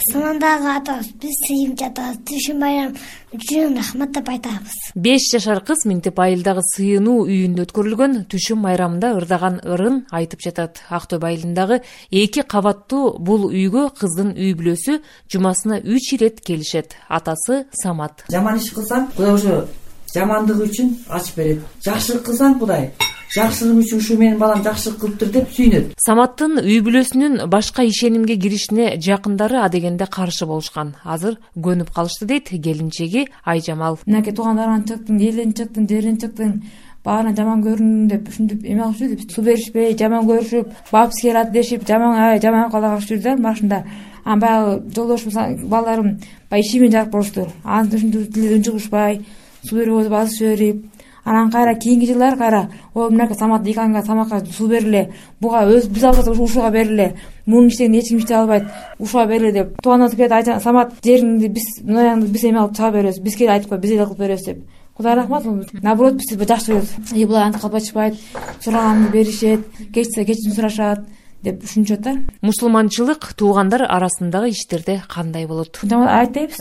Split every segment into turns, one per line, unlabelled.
Самандагы атабыз биз сыйынча атабыз. Түшүн байрам үчүн рахмат деп айтабыз.
5 жашар кыз минтип айылдагы сыйынуу үйүндө өткөрүлгөн түшүм майрамында ырдаган ырын айтып жатат. Ак Төбө айылындагы 2 кабаттуу бул үйгө кыздын үй бүлөсү жумасына 3 ирет келишет. Атасы Самат.
Жаман иш кылсаң, Кудай ошо жамандыгы үчүн ачып берет. Жакшылык кылсаң, Кудай жакшылыгым үчүн ушу менин балам жакшылык кылыптыр деп сүйүнөт.
Саматтын үй бүлөсүнүн башка ишенимге киришине жакындары адегенде каршы болушкан. Азыр көнүп калышты дейт келинчеги Айжамал.
Мынакей туугандарыңан чыктың, элден чыктың, жерден чыктың, баарына жаман көрүндүң деп ушинтип эме кылып жүрдү. Суу беришпей, жаман көрүшүп, бабыс келат дешип, жаман калагып жүрдү. Башында баягы жолдошум, балдарым баягы ишимен жарык болушту. Анан ушинтип тилден чыгышпай, суу берип отуп, азыр жиберип. Анан кайра кийинки жылдары кайра мынакей Самат Диканга Саматка суу бериле, буга биз албасак ушуга бериле, мунун иштегенин эч ким иштей албайт, ушуга бериле деп. Туугандары келип айтат, Самат жериңди биз ноягыңды биз эме алып чыга беребиз, биз келип айтып кой, биз эле кылып беребиз деп. Кудай рахмат, наоборот бизди жакшы көрөт. Булар антип калбашпайт, сураганды беришет, кечсе кечирим сурашат деп ушунчот да.
Мусулманчылык туугандар арасындагы иштерде кандай болот?
Айт дейбиз.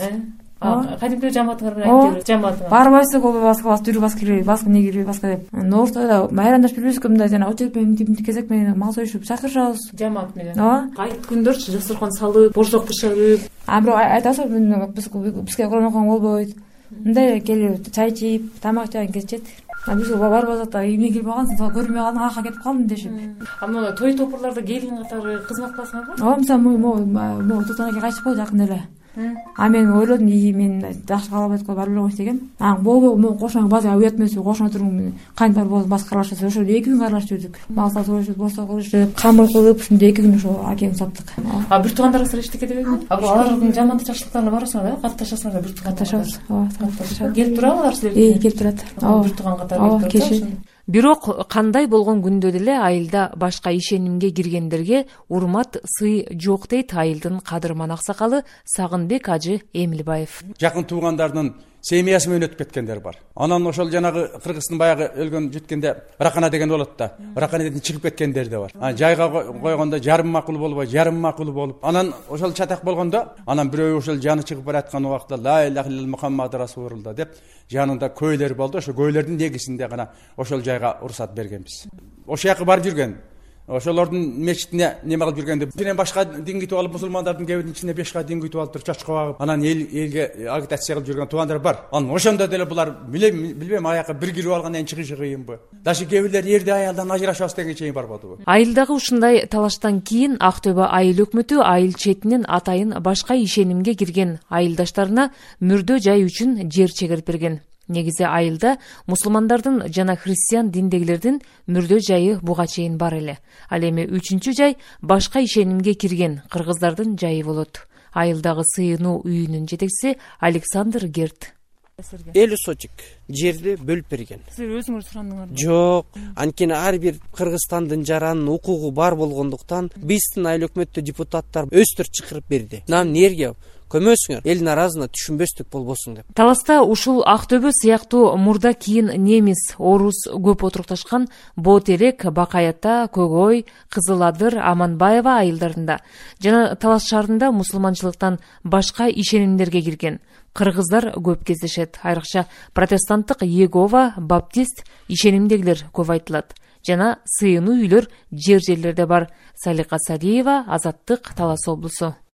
Кадимки жамааттар айтып жамаат.
Барбайсың, ол баска дүрү баска кирбей, баска не кирбей, баска деп. Ноортойдо майрамдашып жүрбүзгү, мындай жана очередь менен кезек менен мал союшуп чакырышабыз.
Жамаат менен. Айт күндөрчү дасторкон салып, борсок бышырып.
Бирок айтасың, бизге Куран окуган болбойт. Мындай келип чай ичип, тамак жагын кетишет. Биз барбасак да эмне кирип алгансың, көрмөй калдың, ака кетип калдым дешип.
Мына той топурларда келин катары кызмат кыласыңарбы?
Ооба, мисалы Тутан аке кайтып койду жакында эле. Мен ойлодум, мен жакшы каалабайт го, бар эле деген. Болбой, кошуна базга уят эмес, кошуна туруң, кайын бар болду, баска карлашат. Ошо 2 күн карлашып жүрдүк. Мал сатып, борсок кылышып, камыр кылып, ушундай 2 күн ошо акем саттык.
Бир туугандарыңыздар эчтеке дебейби? Алардын жаман жакшылыктарына барасыңар, катташасыңар, бир тууган
катташабыз. Ооба,
келип турабы алар силерге?
Келип турат.
Бир тууган катары келип турат. Бирок кандай болгон күндө деле айылда башка ишенимге киргендерге урмат, сый жок дейт айылдын кадырман аксакалы Сагынбек ажы Эмилбаев.
Жакын туугандардын семьясы менен өтүп кеткендер бар. Анан ошол жанагы кыргыздын баягы өлгөн жеткенде ракана деген болот да. Раканаден чыгып кеткендер да бар. Жайга койгондо жарым макул болбой, жарым макул болуп. Анан ошол чатак болгондо, анан бирөө ошол жаны чыгып бараткан убакта ла илаха илlalloh Мухаммад расулулла деп жанында көйлөр болду. Ошо көйлөрдүн негизинде гана ошол жайга уруксат бергенбиз. Ошол жака барып жүргөн. Ошолордун мечитине неме кылып жүргөндө бирен башка дин күтүп алып, мусулмандардын кебирин ичинде 5 дин күтүп алып туруп чачка багып, анан элге агитация кылып жүргөн туугандар бар. Анан ошондо деле булар билбейм, аяка бир кирип алгандан кийин чыгышы кыйынбы? Даже кээ бирлер эрди аялдан ажырашабыз деген чейин барбадыбы?
Айылдагы ушундай талаштан кийин Ак Төбө айыл өкмөтү айыл четинен атайын башка ишенимге кирген айылдаштарына мөрдө жай үчүн жер чегирип берген. Негизи айылда мусулмандардын жана христиан диндегилердин мөрдө жайы буга чейин бар эле. Ал эми 3-чү жай башка ишенимге кирген кыргыздардын жайы болот. Айылдагы сыйынуу үйүнүн жетекчиси Александр Герт.
50 сотик жерди бөлүп берген.
Сиз өзүңүз сурандыңарбы?
Жок, анткени ар бир Кыргызстандын жаранын укугу бар болгондуктан биздин айыл өкмөттө депутаттар өстөр чакырып берди. Нам нерге көмөсүңөр, эл наразына түшүнбөстүк болбосун деп.
Таласта ушул Ак Төбө сыяктуу мурда кийин немис, орус көп отурукташкан Боотерек, Бакаята, Көгөй, Кызыл Адыр, Аманбаева айылдарында жана Талас шаарында мусулманчылыктан башка ишенимдерге кирген кыргыздар көп кездешет. Айрыкча протестанттык Иегова, баптист ишенимдегилер көп айтылат. Жана сыйынуу үйлөр жерлерде бар. Салика Салиева, Азаттык, Талас облусу.